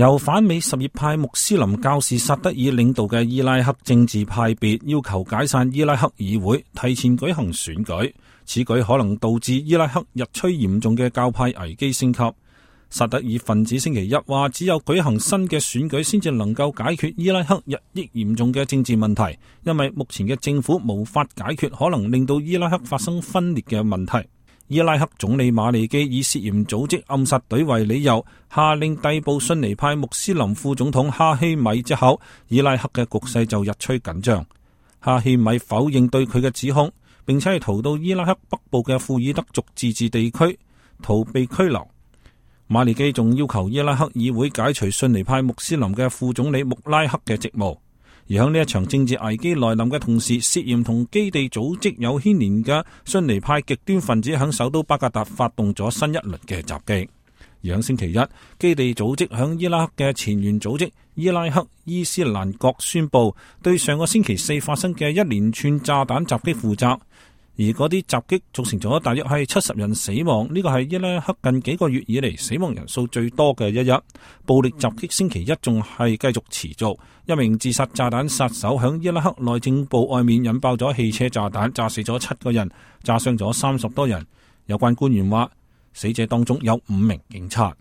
由反美什葉派穆斯林教士薩德爾領導嘅伊拉克政治派別要求解散伊拉克議會，提前舉行選舉。此舉可能導致伊拉克日趨嚴重嘅教派危機升級。薩德爾分子星期一話，只有舉行新嘅選舉先至能夠解決伊拉克日益嚴重嘅政治問題，因為目前嘅政府無法解決可能令到伊拉克發生分裂嘅問題。伊拉克總理馬利基以涉嫌組織暗殺隊為理由，下令逮捕遜尼派穆斯林副總統哈希米之後，伊拉克嘅局勢就日趨緊張。哈希米否認對佢嘅指控，並且係逃到伊拉克北部嘅庫爾德族自治地區逃避拘留。馬利基仲要求伊拉克議會解除遜尼派穆斯林嘅副總理穆拉克嘅職務。而喺呢一場政治危機來臨嘅同時，涉嫌同基地組織有牽連嘅遜尼派極端分子喺首都巴格達發動咗新一輪嘅襲擊。而喺星期一，基地組織喺伊拉克嘅前沿組織伊拉克伊斯蘭國宣布對上個星期四發生嘅一連串炸彈襲擊負責。而嗰啲襲擊造成咗大約係70人死亡，呢個係伊拉克近幾個月以嚟死亡人數最多嘅一日。暴力襲擊星期一仲係繼續持續，一名自殺炸彈殺手響伊拉克內政部外面引爆咗汽車炸彈，炸死咗7個人，炸傷咗30多人。有關官員話，死者當中有5名警察。